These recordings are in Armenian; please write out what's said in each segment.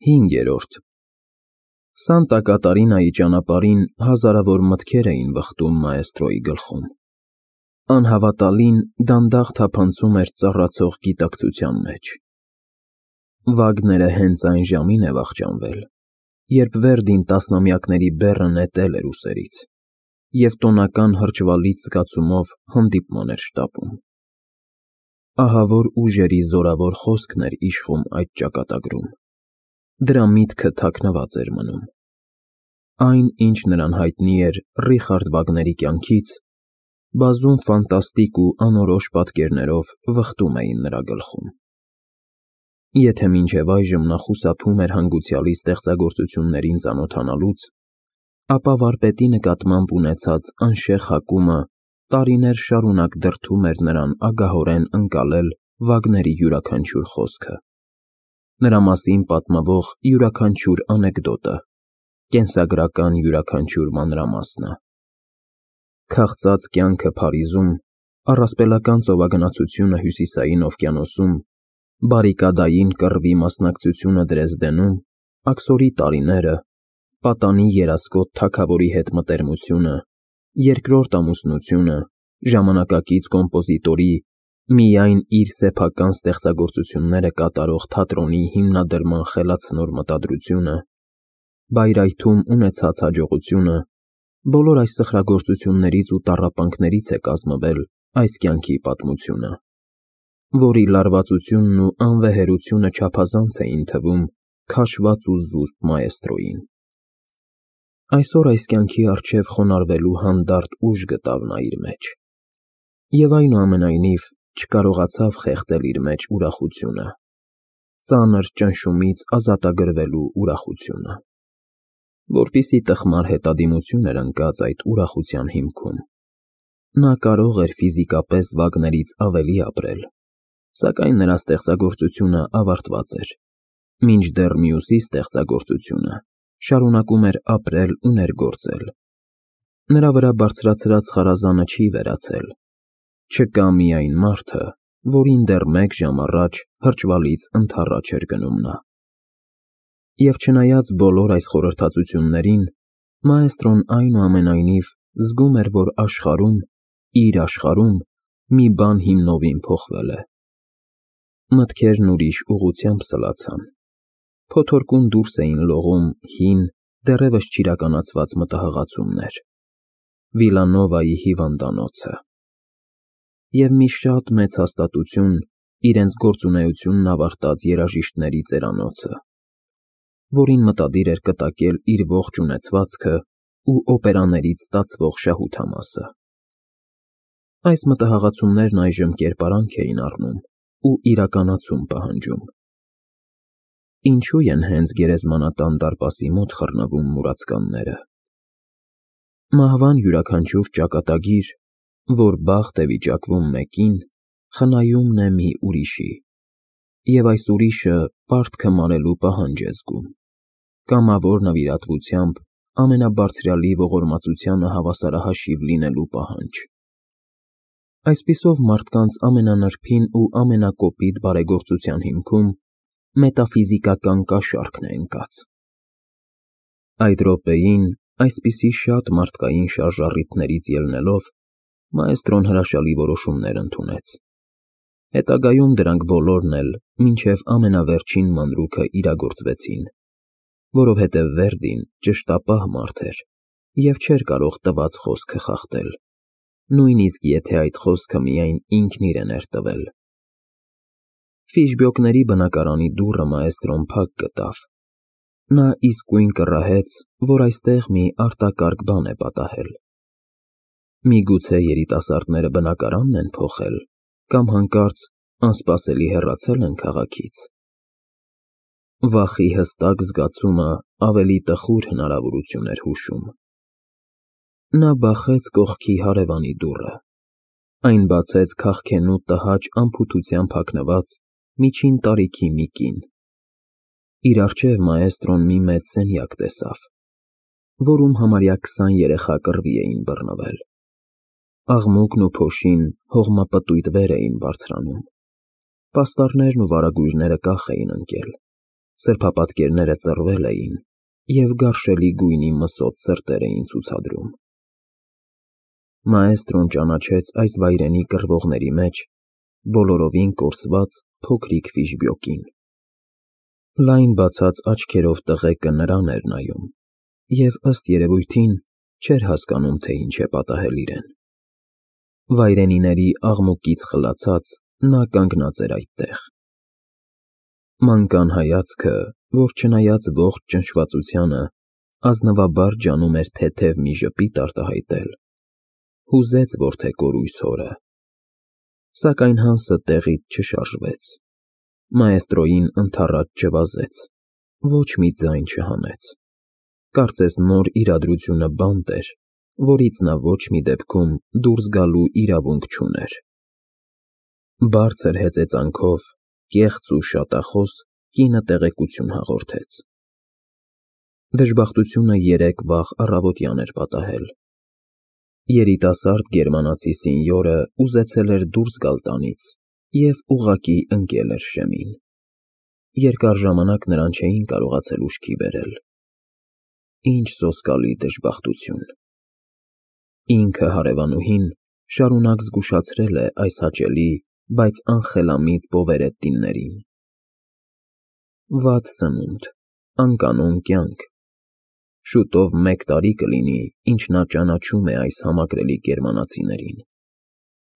5. Սանտա Կատարինայի ճանապարհին հազարավոր մտքեր էին վխտում մաեստրոյի գլխում։ Անհավատալին դանդաղ թափանցում էր ծառացող գիտակցության մեջ։ Վագները հենց այն ժամին է վախճանվել, երբ Վերդին տասնամյակների բեռը նետել էր ուսերից, և տոնական հրճվալից զգացումով հանդիպման էր շտապում։ Ահավոր ուժերի զորավոր խոսքն էր իշխում այդ ճակատագրում։ Դրա միտքը թաքնված էր մնում։ Այն, ինչ նրան հայտնի էր Ռիխարդ Վագների կյանքից, բազում ֆանտաստիկ ու անորոշ պատկերներով վխտում էին նրա գլխում։ Եթե մինչև այժմ նա խուսափում էր հանգուցյալի ստեղծագործություններին ծանոթանալուց, ապա վարպետի նկատմամբ ունեցած անշեղ հակումը տարիներ շարունակ դրդում էր նրան ագահորեն ընկալել Վագների յուրաքանչյուր խոսքը, նրա մասին պատմվող յուրաքանչյուր անեկդոտը, կենսագրական յուրաքանչյուր մանրամասնը։ Քաղցած կյանքը Փարիզում, առասպելական ծովագնացությունը Հյուսիսային օվկիանոսում, բարիկադային կռվի մասնակցությունը Դրեզդենում, աքսորի տարիները, պատանի երասկոտ թագավորի հետ մտերմությունը, երկրորդ ամուսնությունը, ժամանակակից կոմպոզիտորի, միայն իր սեփական ստեղծագործությունները կատարող թատրոնի հիմնադրման խելացնոր մտադրությունը, Բայրայթում ունեցած հաջողությունը, բոլոր այս սխրագործություններից ու տառապանքներից է կազմվել այս կյանքի պատմությունը, որի լարվածությունն ու անվեհերությունը չափազանց էին թվում քաշված ու զուսպ մաեստրոյին։ Այսօր այս կյանքի առջև խոնարհվելու հանդարտ ուժ գտավ նա իր մեջ, և այնուամենայնիվ չկարողացավ խեղդել իր մեջ ուրախությունը, ծանր ճնշումից ազատագրվելու ուրախությունը։ Որպեսզի տխմար հետադիմություն էր ընկած այդ ուրախության հիմքում, նա կարող էր ֆիզիկապես Վագներից ավելի ապրել, սակայն նրա ստեղծագործությունը ավարտված էր, մինչդեռ մյուսի ստեղծագործությունը շարունակում էր ապրել ու ներգործել։ Նրա վրա բարձրացրած խարազանը չի վերացել, չկա միայն մարդը, որին դեռ 1 ժամ առաջ հրճվալից ընդառաջ էր գնում նա։ Եվ չնայած բոլոր այս խորհրդածություններին, մաեստրոն այնուամենայնիվ զգում էր, որ աշխարհում, իր աշխարհում, մի բան հիմնովին փոխվել է։ Մտքերն ուրիշ ուղղությամբ սլացան, փոթորկուն դուրս էին լողում հին, դեռևս չիրականացված մտահղացումներ, Վիլանովայի հիվանդանոցը, և մի շատ մեծ հաստատություն իրենց գործունեությունն ավարտած երաժիշտների ծերանոցը, որին մտադիր էր կտակել իր ողջ ունեցվածքը ու օպերաներից ստացվող շահութամասը։ Այս մտահղացումներն այժմ կերպարանք էին առնում ու իրականացում պահանջում։ Ինչու են հենց գերեզմանատան դարպասի մոտ խռնվում մուրացկանները։ Մահվան յուրաքանչյուր ճակատագիր, որ բախտ է վիճակվում մեկին, խնայումն է մի ուրիշի, և այս ուրիշը պարտքը մարելու պահանջ է զգում, կամավոր նվիրատվությամբ ամենաբարձրյալի ողորմածությանը հավասարահաշիվ լինելու պահանջ։ Այսպիսով մարդկանց ամենանրբին ու ամենակոպիտ բարեգործության հիմքում մետաֆիզիկական կաշառքն է ընկած։ Այդ րոպեին, այսպիսի շատ մարդկային շարժառիթներից ելնելով, մաեստրոն հրաշալի որոշումներ ընդունեց։ Հետագայում դրանք բոլորն էլ մինչև ամենավերջին մանրուքը իրագործվեցին, որովհետև Վերդին ճշտապահ մարդ էր և չէր կարող տված խոսքը խախտել, նույնիսկ եթե այդ խոսքը միայն ինքն իրեն էր տվել։ Ֆիշբյոկների բնակարանի դուռը մաեստրոն փակ գտավ։ Նա իսկույն կռահեց, որ այստեղ մի արտակարգ բան է պատահել։ Միգուցե երիտասարդները բնակարանն են փոխել կամ հանկարծ անսպասելի հեռացել են քաղաքից։ Վախի հստակ զգացումը ավելի տխուր հնարավորություն էր հուշում։ Նա բախեց կողքի հարևանի դուռը։ Այն բացեց քաղքենու տհաճ անփութությամբ հագնված միջին տարիքի մի կին։ Իր առջև մաեստրոն մի մեծ սենյակ տեսավ, որում համարյա 20 երեխա կռվի էին բռնվել։ Աղմուկն ու փոշին հողմապտույտ վեր էին բարձրանում, պաստառներն ու վարագույրները կախ էին ընկել, սրբապատկերները ծռվել էին և գարշելի գույնի մսոտ սրտեր էին ցուցադրում։ Մաեստրոն ճանաչեց այս վայրենի կռվողների մեջ բոլորովին կորսված փոքրիկ Ֆիշբյոկին։ Լայն բացած աչքերով տղեկը նրան էր նայում և, ըստ երևույթին, չէր հասկանում, թե ինչ է պատահել իրեն։ Վայրենիների աղմուկից խլացած նա կանգնած էր այդտեղ։ Մանկան հայացքը, որ չնայած ողջ ճնշվածությանը, ազնվաբար ջանում էր թեթև մի ժպիտ արտահայտել, հուզեց որդեկորույս հորը։ Սակայն Հանսը տեղից չշարժվեց, մաեստրոյին ընդառաջ չվազեց, ոչ մի ձայն չհանեց, կարծես նոր իրադրությունը բանտ էր, որից նա ոչ մի դեպքում դուրս գալու իրավունք չուներ։ Բարձր հեծեծանքով, կեղծ ու շատախոս կինը տեղեկություն հաղորդեց։ Դժբախտությունը երեկ վաղ առավոտյան էր պատահել։ Երիտասարդ գերմանացի սինյորը ուզեցել էր դուրս գալ տանից և ուղղակի ընկել էր շեմին։ Երկար ժամանակ նրան չէին կարողացել ուշքի բերել։ Ինչ սոսկալի դժբախտություն։ Ինքը հարևանուհին շարունակ զգուշացրել է այս հաճելի, բայց անխելամիտ պովերետտիներին։ Վատ սնունդ, անկանոն կյանք։ Շուտով 1 տարի կլինի, ինչ նա ճանաչում է այս համակրելի գերմանացիներին։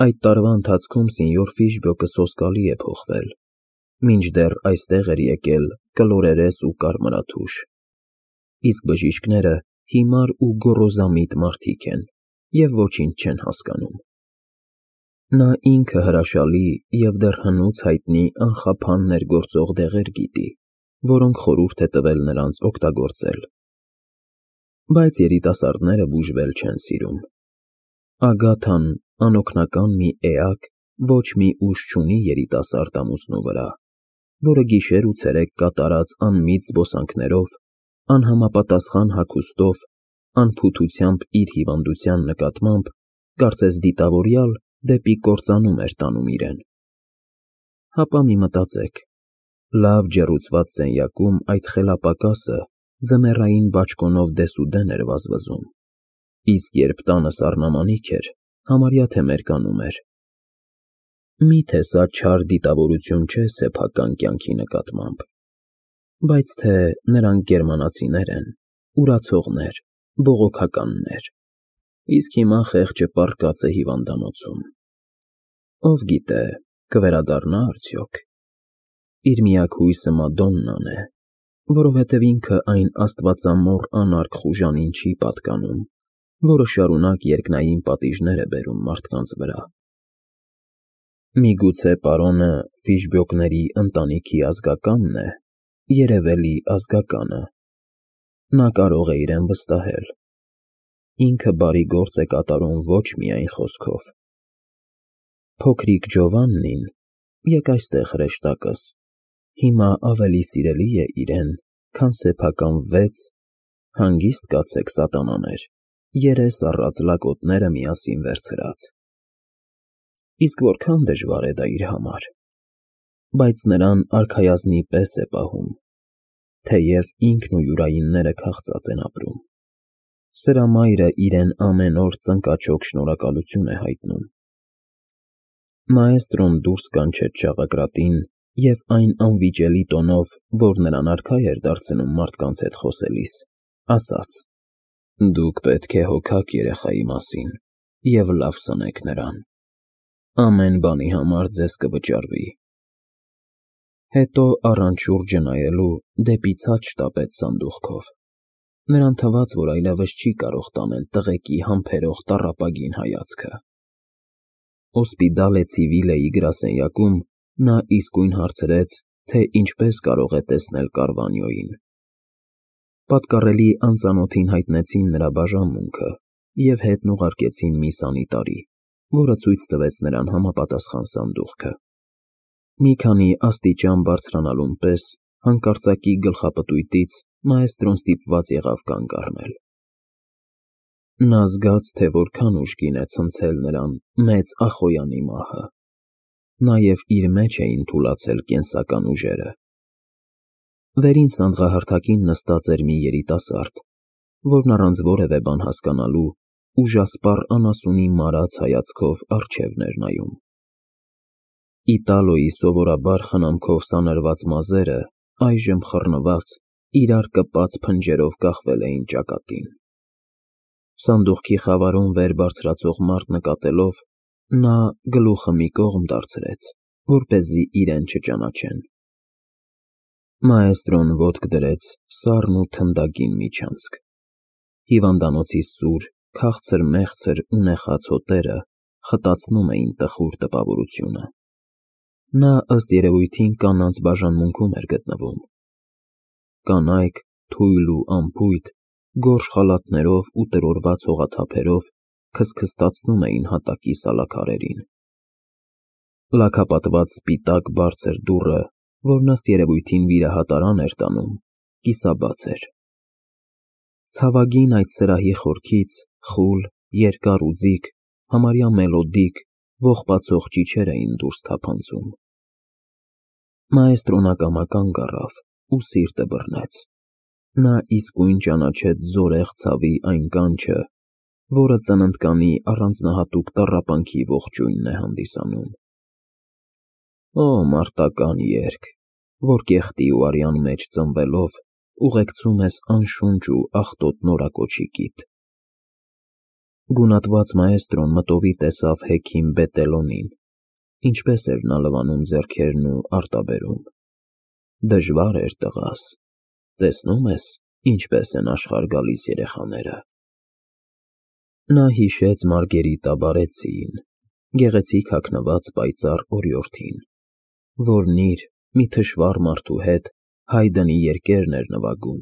Այդ տարվա ընթացքում սինյոր Ֆիշբյոկը սոսկալի է փոխվել, մինչդեռ այստեղ էր եկել կլորերես ու կարմրաթուշ, իսկ բժիշկները հիմար ու գոռոզամիտ մարդիկ են և ոչինչ չեն հասկանում։ Նա ինքը հրաշալի և դեռ հնուց հայտնի անխափան ներգործող դեղեր գիտի, որոնք խորհուրդ է տվել նրանց օգտագործել։ Բայց երիտասարդները բուժվել չեն սիրում։ Ագաթան անօգնական մի էակ ոչ մի ուժ չունի երիտասարդ ամուսնու վրա, որը գիշեր ու ցերեկ կատարած անմիտ զբոսանքներով, անհամապատասխան հագուստով, անփութությամբ իր հիվանդության նկատմամբ, կարծես դիտավորյալ դեպի կործանում էր տանում իրեն։ Հապա մի մտածեք, լավ ջեռուցված սենյակում այդ խելապակասը ձմեռային բաճկոնով դեսուդեն էր վազվզում, իսկ երբ տանը սառնամանիք էր, համարյա թե մերկանում էր։ Միթե սա չար դիտավորություն չէ սեփական կյանքի նկատմամբ, բայց թե նրանք գերմանացիներ են, ուրացողներ, բողոքականներ, իսկ հիմա խեղճը պառկած է հիվանդանոցում։ Ով գիտե, կվերադառնա՞ արդյոք։ Իր միակ հույսը Մադոննան է, որովհետև ինքը այն աստվածամոռ անարգ խուժանին չի պատկանում, որը շարունակ երկնային պատիժներ է բերում մարդկանց վրա։ Միգուցե պարոնը Ֆիշբյոկների ընտանիքի ազգականն է, երևելի ազգականը։ Նա կարող է իրեն վստահել։ Ինքը բարի գործ է կատարում ոչ միայն խոսքով։ Փոքրիկ Ջովաննին, եկ այստեղ հրեշտակս, հիմա ավելի սիրելի է իրեն, քան սեփական 6, հանգիստ կացեք սատանաներ, երես առած լակոտները միասին վերցրած։ Իսկ որքան դժվար է դա իր համար։ Բայց նրան արքայազնի պես է պահում, թեև ինքն ու յուրայինները քաղծած են ապրում։ Սրա մայրը իրեն ամեն օր ծնկաչոք շնորհակալություն է հայտնում։ Մաեստրոն դուրս կանչեց շաղակրատին և այն անվիճելի տոնով, որ նրան արքա էր դարձնում մարդկանց հետ խոսելիս, ասաց. «Դուք պետք է հոգաք երեխայի մասին և լավ սնեք նրան։ Ամեն բանի համար ձեզ կվճարվի»։ Հետո առանց շուրջը նայելու դեպի ցած շտապեց սանդուղքով։ Նրան թվաց, որ այլևս չի կարող տանել տղեկի համբերող տառապագին հայացքը։ Օսպիդալե Ցիվիլեի գրասենյակում նա իսկույն հարցրեց, թե ինչպես կարող է տեսնել Կարվանյոյին։ Պատկառելի անծանոթին հայտնեցին նրա բաժանմունքը և հետն ուղարկեցին մի սանիտարի, որը ցույց տվեց նրան համապատասխան սանդուղքը։ Մի քանի աստիճան բարձրանալուն պես հանկարծակի գլխապտույտից մաեստրոն ստիպված եղավ կանգ առնել։ Նա զգաց, թե որքան ուժգին է ցնցել նրան մեծ Ախոյանի մահը։ Նաև իր մեջ էին թուլացել կենսական ուժերը։ Վերին սանդղահարթակին նստած էր մի երիտասարդ, որն առանց որևէ բան հասկանալու ուժասպառ անասունի մարած հայացքով առջևն էր նայում։ Իտալոյի սովորաբար խնամքով սանրված մազերը այժմ խռնված, իրար կպած փնջերով կախվել էին ճակատին։ Սանդուղքի խավարում վեր բարձրացող մարդ նկատելով, նա գլուխը մի կողմ դարձրեց, որպեսզի իրեն չճանաչեն։ Մաեստրոն ոտք դրեց սառն ու թնդագին միջանցք։ Հիվանդանոցի սուր, քաղցր-մեղցր ու նեխած հոտերը խտացնում էին տխուր տպավորությունը։ Նա ըստ երևույթին կանանց բաժանմունքում էր գտնվում։ Կանայք, թույլ ու անփույթ, գորշ խալաթներով ու տրորված հողաթափերով քստքստացնում էին հատակի սալաքարերին։ Լաքապատված սպիտակ բարձր դուռը, որն ըստ երևույթին վիրահատարան էր տանում, կիսաբաց էր։ Ցավագին այդ սրահի խորքից խուլ, երկար ու ձիգ, համարյա մելոդիկ, ողբացող ճիչեր էին դուրս թափանցում։ Մաեստրոն ակամա կանգ առավ ու սիրտը բռնեց։ Նա իսկույն ճանաչեց զորեղ ցավի այն կանչը, որը ծննդկանի առանձնահատուկ տառապանքի ողջույնն է հանդիսանում։ Օ, մարտական երգ, որ կեղտի ու արյան մեջ ծնվելով ուղեկցում ես անշունչ ու աղտոտ նորակոչիկիդ։ Գունատված մաեստրոն մտովի տեսավ հեքիմ Բետելոնին, ինչպես էր նա լվանում ձեռքերն ու արտաբերում։ Դժվար էր տղաս, տեսնում ես, ինչպես են աշխարհ գալիս երեխաները։ Նա հիշեց Մարգերիտա Բարեցիին, գեղեցիկ հագնված պայծառ օրիորդին, որն իր մի թշվառ մարդու հետ Հայդնի երկերն էր նվագում,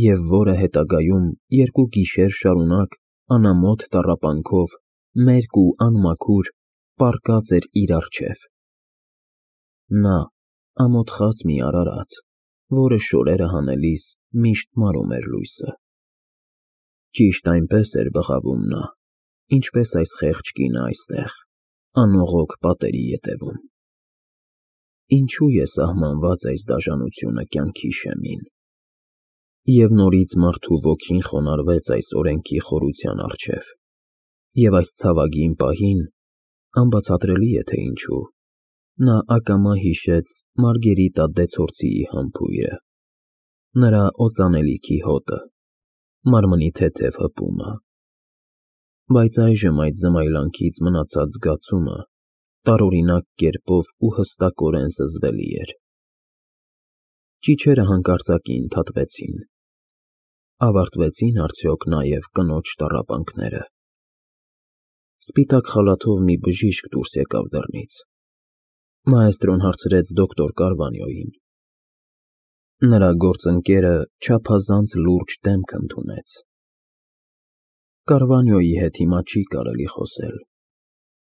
և որը հետագայում երկու գիշեր շարունակ անամոթ տառապանքով մերկ ու անմաքուր պառկած էր իր առջև։ Նա, ամոթխած մի արարած, որը շորերը հանելիս միշտ մարում էր լույսը։ Ճիշտ այնպես էր բղավում նա, ինչպես այս խեղճ կինը այստեղ, անողոք պատերի ետևում։ Ինչու է սահմանված այս դաժանությունը կյանքի շեմին։ Եվ նորից մարդու ոգին խոնարհվեց այս օրենքի խորության առջև, և այս ցավագին պահին, անբացատրելի է թե ինչու, նա ակամա հիշեց Մարգերիտա Դեցորցիի համբույրը, նրա օծանելիքի հոտը, մարմնի թեթև հպումը։ Բայց այժմ այդ զմայլանքից մնացած զգացումը տարօրինակ կերպով ու հստակորեն զզվելի էր։ Ճիչերը հանկարծակի ընդհատվեցին։ Ավարտվեցին արդյոք նաև կնոջ տառապանքները։ Սպիտակ խալաթով մի բժիշկ դուրս եկավ դռնից։ Մաեստրոն հարցրեց դոկտոր Կարվանյոյին։ Նրա գործընկերը չափազանց լուրջ դեմք ընդունեց։ Կարվանյոյի հետ հիմա չի կարելի խոսել,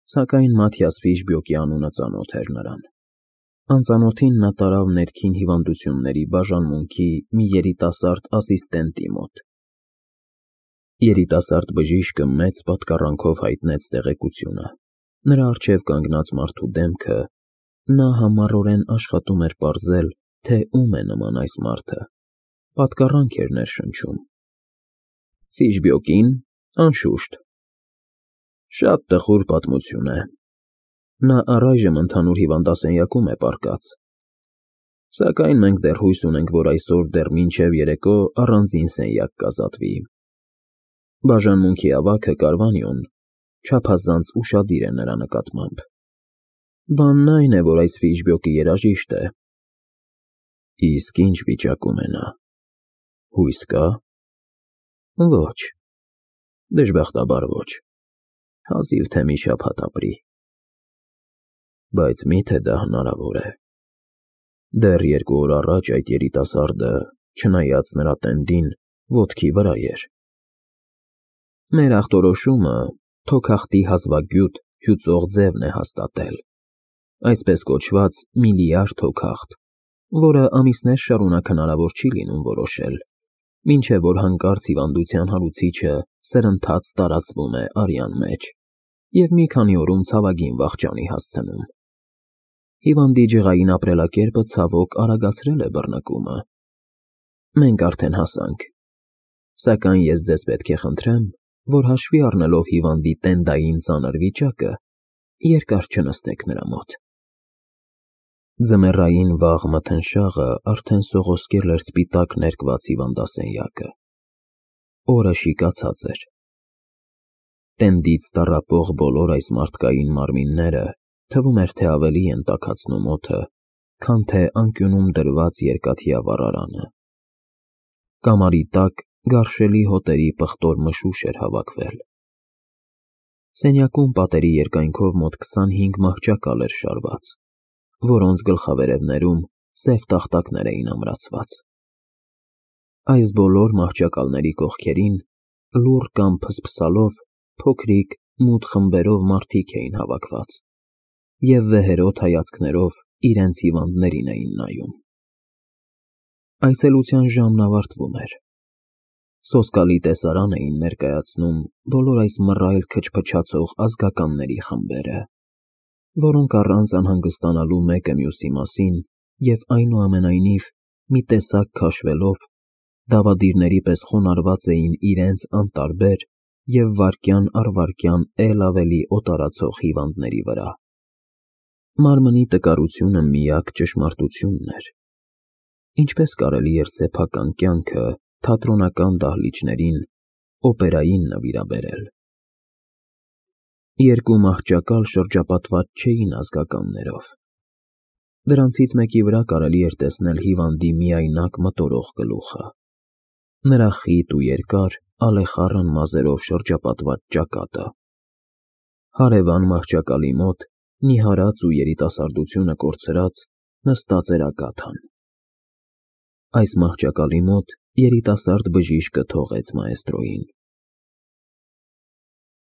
սակայն Մաթիաս Ֆիշբյոկի անունը ծանոթ էր նրան։ Անծանոթին նա տարավ ներքին հիվանդությունների բաժանմունքի մի երիտասարդ ասիստենտի մոտ։ Երիտասարդ բժիշկը մեծ պատկառանքով հայտնեց տեղեկությունը։ Նրա առջև կանգնած մարդու դեմքը, նա համառորեն աշխատում էր պարզել, թե ում է նման այս մարդը, պատկառանք էր ներշնչում։ Ֆիշբյոկին, անշուշտ։ Շատ տխուր պատմություն է։ Նա առայժմ ընդհանուր հիվանդասենյակում է պառկած։ Սակայն մենք դեռ հույս ունենք, որ այսօր դեռ մինչև երեկո առանձին սենյակ կազատվի։ Բաժանմունքի ավագը Կարվանյոն չափազանց ուշադիր է նրա նկատմամբ։ Բանն այն է, որ այս Ֆիշբյոկը երաժիշտ է։ Իսկ ինչ վիճակում է նա։ Հույս կա։ Ոչ։ Դժբախտաբար ոչ։ Հազիվ թե մի շաբաթ ապրի։ Բայց միթե դա հնարավոր է։ Դեռ 2 օր առաջ այդ երիտասարդը, չնայած նրա տենդին, ոտքի վրա էր։ Մեր ախտորոշումը թոքախտի հազվագյուտ հյուծող ձևն է հաստատել, այսպես կոչված միլիար թոքախտ, որը ամիսներ շարունակ հնարավոր չի լինում որոշել, մինչև որ հանկարծ հիվանդության հարուցիչը սրընթաց տարածվում է արյան մեջ և մի քանի օրում ցավագին վախճանի հասցնում։ Հիվանդի ջղային ապրելակերպը ցավոք արագացրել է բռնկումը։ Մենք արդեն հասանք, սակայն ես ձեզ պետք է խնդրեմ, որ հաշվի առնելով հիվանդի տենդային ծանր վիճակը, երկար չնստեք նրա մոտ։ Ձմեռային վաղ մթնշաղը արդեն սողոսկել էր սպիտակ ներկված հիվանդասենյակը։ Օրը շիկացած էր։ Տենդից տառապող բոլոր այս մարդկային մարմինները թվում էր, թե ավելի են տաքացնում օդը, քան թե անկյունում դրված երկաթյա վառարանը։ Կամարի տակ գարշելի հոտերի պղտոր մշուշ էր հավաքվել։ Սենյակում պատերի երկայնքով մոտ 25 մահճակալ էր շարված, որոնց գլխավերևներում սև տախտակներ էին ամրացված։ Այս բոլոր մահճակալների կողքերին, լուռ կամ փսփսալով, փոքրիկ, մութ խմբերով մարդիկ էին հավաքված և վեհերոտ հայացքներով իրենց հիվանդներին էին նայում։ Այցելության ժամն ավարտվում էր։ Սոսկալի տեսարան էին ներկայացնում բոլոր այս մռայլ քչփչացող ազգականների խմբերը, որոնք առանց անհանգստանալու մեկը մյուսի մասին և այնուամենայնիվ մի տեսակ քաշվելով, դավադիրների պես խոնարհված էին իրենց անտարբեր և վայրկյան առ վայրկյան էլ ավելի օտարացող հիվանդների վրա։ Մարմնի տկարությունը միակ ճշմարտությունն էր։ Ինչպես կարելի էր սեփական կյանքը թատրոնական դահլիճներին, օպերային նվիրաբերել։ Երկու մահճակալ շրջապատված չէին ազգականներով։ Դրանցից մեկի վրա կարելի էր տեսնել հիվանդի միայնակ մտորող գլուխը, նրա խիտ ու երկար, ալեխառն մազերով շրջապատված ճակատը։ Հարևան մահճակալի մոտ, նիհարած ու երիտասարդությունը կորցրած, նստած էր Ագաթան։ Այս մահճակալի մոտ երիտասարդ բժիշկը թողեց մաեստրոյին։